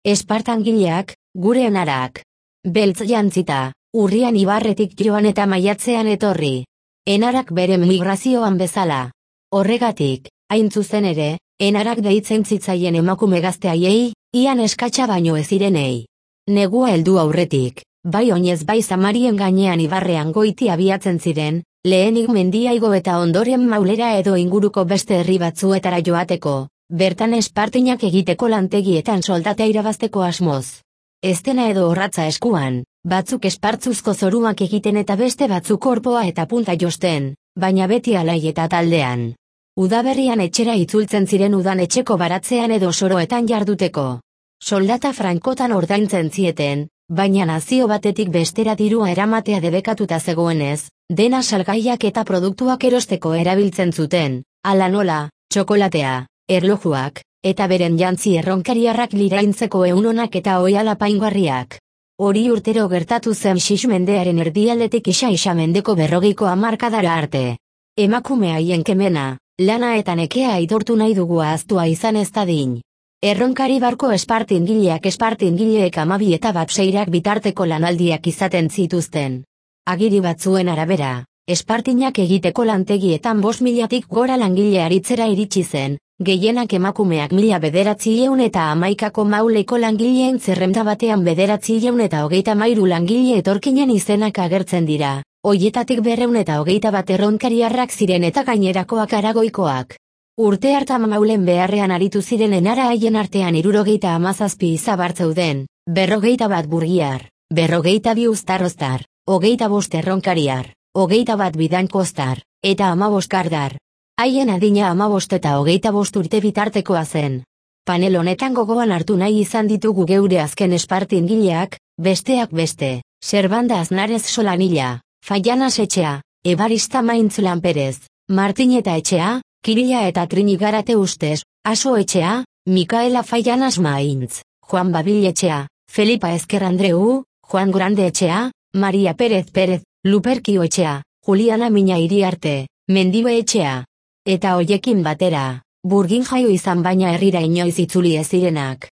Espartangileak, gure enarak. Beltz jantzita, urrian ibarretik joan eta maiatzean etorri. Enarak bere migrazioan bezala. Horregatik, hain zuzen ere, enarak deitzen zitzaien emakume gazteaiei, ian eskatsa baino ez zirenei. Negua heldu aurretik, bai oinez bai Samarien gainean ibarrean goiti abiatzen ziren, lehenik mendia igo eta ondoren Maulera edo inguruko beste herri batzuetara joateko, bertan espartinak egiteko lantegietan soldatea irabazteko asmoz. Eztena edo orratza eskuan, batzuk espartzuzko zoruak egiten eta beste batzuk orpoa eta punta josten, baina beti alai eta taldean. Udaberrian etxera itzultzen ziren udan etxeko baratzean edo soroetan jarduteko. Soldata frankotan ordaintzen zieten, baina nazio batetik bestera dirua eramatea debekatuta zegoenez, dena salgaiak eta produktuak erosteko erabiltzen zuten, hala nola, txokolatea, erlojuak, eta beren jantzi erronkariarrak liraintzeko eunonak eta oihala apaingarriak. Hori urtero gertatu zen Xix mendearen erdialdetik Isa mendeko 40ko hamarkadara arte. Emakume haien kemena, lana eta nekea aitortu nahi dugu ahaztua izan ez dadin. Erronkari barko espartingileak 12 eta 16 bitarteko lanaldiak izaten zituzten. Agiri batzuen arabera, espartinak egiteko lantegietan 5.000tik gora langile aritzera iritsi zen, gehienak emakumeak 1911ko Mauleko langileen zerrenda batean 1933 langile etorkinen izenak agertzen dira, hoietatik 221 erronkariarrak ziren eta gainerakoak Aragoikoak. Urte hartan Maulen beharrean aritu ziren enara haien artean 77 izabar zeuden, 41 burgiar, 42 uztarroztar, 25 erronkariar, 21 bidankostar, eta 15 kardar. Haien adina 15 eta 25 urte bitartekoa zen. Panel honetan gogoan hartu nahi izan ditugu geure azken espartingileak, besteak beste, Serbanda Aznarez Solanilla, Faianas Etxea, Ebarista Maintz Lanperez, Martineta Etxea, Kirila eta Trini Garate Ustez, Aso Etxea, Mikaela Faianas Maintz, Juan Babil Etxea, Felipa Ezker Andreu, Juan Grande Etxea, Maria Pérez Pérez, Luperkio Etxea, Juliana Mina Iriarte, Mendibe Etxea. Eta hoiekin batera, burgin jaio izan baina herrira inoiz itzuli ez zirenak.